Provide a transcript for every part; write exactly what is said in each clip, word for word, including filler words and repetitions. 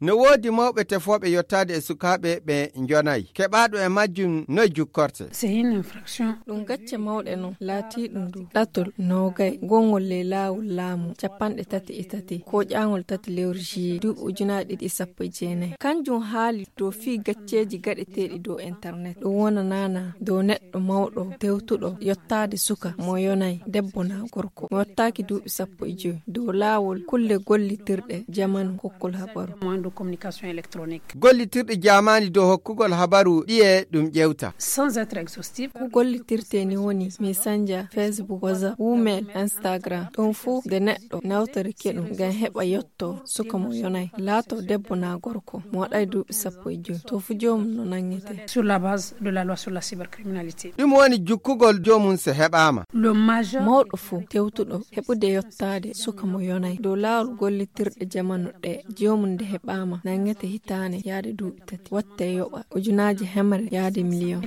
No woodi mawɓe tefooɓe yottaade e sukaaɓe ɓe njonaay. Keɓaaɗo e majjum noy jukkorte? Ɗum gacce mawɗe non laatiiɗum dow ɗatol noogay, gongol ley laawol laamu capanɗe tati e tati, kooƴaangol tati lewru juillet duuɓi ujunaaji ɗiɗi e sappo e jeenayi. Kanjum haali dow fii gacceeji gaɗeteeɗi dow internet. Ɗum wonanaana dow neɗɗo mawɗo tewtuɗo yottaade suka mo yonay, debbo naa gorko, mo yottaaki duuɓi sappo e joy, dow laawol kulle gollitirɗe jamanu kokkol habaru. Gollitirɗe jaamaani dow hokkugol habaru ɗiye ɗum ƴewta? Ko gollitirtee ni woni Messenger, Facebook, WhatsApp, Gmail, Instagram. Ɗum fuu nde neɗɗo nawtorike ɗum ngam heɓa yotto suka mo yonay, laato debbo naa gorko, mo waɗay duuɓi sappo e joy, to fuu joomum no nanngete. Ɗum woni jukkugol joomum so heɓaama. Mawɗo fuu tewtuɗo heɓude yottaade suka mo yonay dow laawol gollitirɗe jamanu ɗe, joomum nde heɓaama nanngete hitaande yaade duuɓi tati, watte yoɓa ujunaaji hemre yaade miliyon.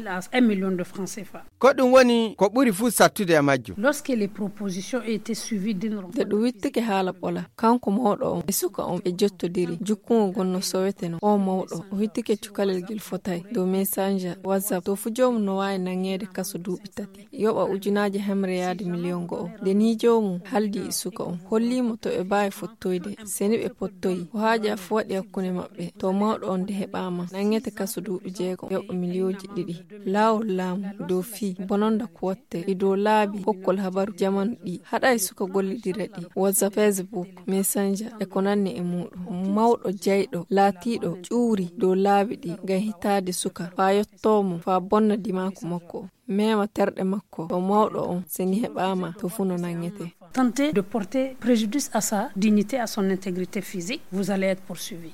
Ko ɗum woni ko ɓuri fuu sattude e majjum. Nde ɗum wittike haala ɓola, kanko mawɗo on e suka on ɓe jottodiri, jukkungol ngol no soweteno. Oo mawɗo o wittike cukalel ngel fotay dow Messenger, WhatsApp, to fuu joomum no waawi nanŋeede kaso duuɓi tati, yoɓa ujunaaji hemre yaade miliyon go'o. Nde nii joomum haaldi e suka on, hollii mo to ɓe mbaawi fottoyde, se ni ɓe pottoyii, ko haajaa fuu waɗi hakkunde maɓɓe, to mawɗo on nde heɓaama nanngete kaso duuɓi jeegom, yoɓa miliyonji ɗiɗi. Laawol laamu dow fii bononda ko watte e dow laabi kokkol habaru jamanu ɗi haɗay suka gollidira ɗi, WhatsApp, Facebook, Messenger e ko nanni e muuɗum. Mawɗo jayɗo laatiiɗo ƴuuri dow laabi ɗi ngam hitaade suka faa yottoo mo faa bonna dimaaku makko, meema terɗe makko, to mawɗo on se ni heɓaama to fuu no nanngete. Tenter de porter préjudice à sa dignité, à son intégrité physique, vous allez être poursuivi.